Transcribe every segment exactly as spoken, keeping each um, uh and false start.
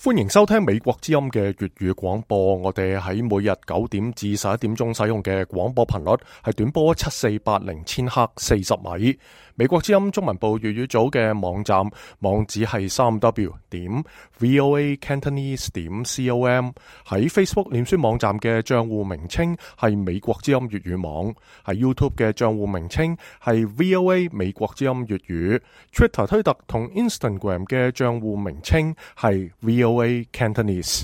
歡迎收聽美國之音嘅粵語廣播。我哋喺每日九點至十一點鐘使用嘅廣播頻率係短波七四八零千赫四十米。美國之音中文部粵語組嘅網站網址係三 w 點 voa cantonese 點 com。喺 Facebook 臉書網站嘅賬戶名稱係美國之音粵語網。喺 YouTube 嘅賬戶名稱係 voa 美國之音粵語。Twitter 推特同 Instagram 嘅賬戶名稱係 voa cantonese。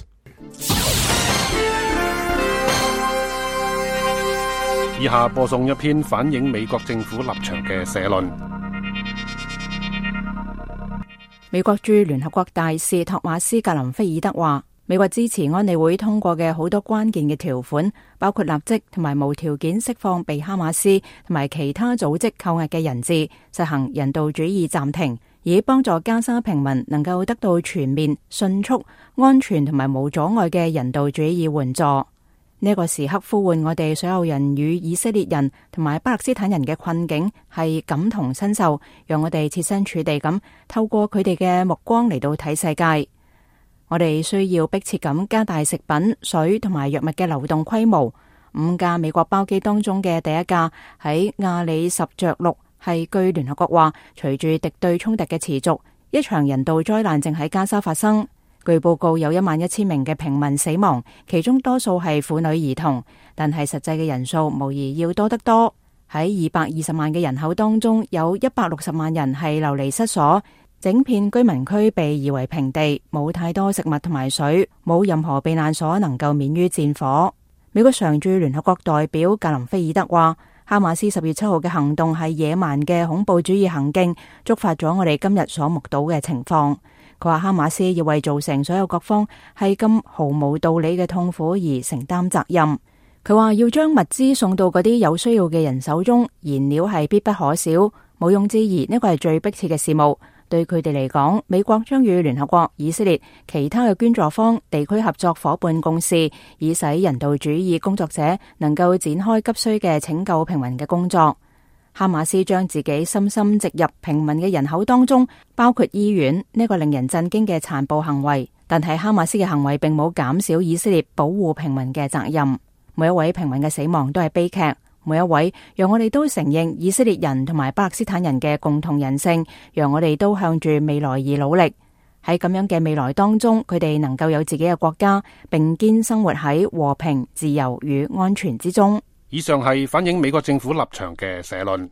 以下播送一篇反映美國政府立場嘅社論。美國駐聯合國大使托馬斯格林菲爾德話，美國支持安理會通過嘅好多關鍵嘅條款，包括立即同埋無條件釋放被哈馬斯同埋其他組織扣押嘅人質，實行人道主義暫停，以幫助加沙平民能夠得到全面、迅速、安全同埋無阻礙嘅人道主義援助。呢個時刻呼喚我哋所有人與以色列人同埋巴勒斯坦人嘅困境係感同身受，讓我哋設身處地咁透過佢哋嘅目光嚟到睇世界。我哋需要迫切咁加大食品、水同埋藥物嘅流動規模。五架美國包機當中嘅第一架喺亞里什着陸，係據聯合國話，隨住敵對衝突嘅持續，一場人道災難正喺加沙發生。據報告有一萬一千名嘅平民死亡，其中多數係婦女兒童，但係實際嘅人數無疑要多得多。喺二百二十萬嘅人口當中，有一百六十萬人係流離失所，整片居民區被夷為平地，冇太多食物同埋水，冇任何避難所能夠免於戰火。美國常駐聯合國代表格林菲爾德話，哈馬斯十月七號嘅行動係野蠻嘅恐怖主義行徑，觸發咗我哋今日所目睹嘅情況。佢話哈馬斯要為造成所有各方係咁毫無道理嘅痛苦而承擔責任。佢話要將物資送到嗰啲有需要嘅人手中，燃料係必不可少，毋庸置疑呢個係最迫切嘅事務。對佢哋嚟講，美國將與聯合國、以色列、其他嘅捐助方、地區合作夥伴共事，以使人道主義工作者能夠展開急需嘅拯救平民嘅工作。哈馬斯將自己深深植入平民嘅人口當中，包括醫院，呢個令人震驚嘅殘暴行為。但係哈馬斯嘅行為並冇減少以色列保護平民嘅責任。每一位平民嘅死亡都係悲劇，每一位讓我哋都承認以色列人同埋巴勒斯坦人嘅共同人性，讓我哋都向住未來而努力。喺咁樣嘅未來當中，佢哋能夠有自己嘅國家，並肩生活喺和平、自由與安全之中。以上係反映美國政府立場嘅社論。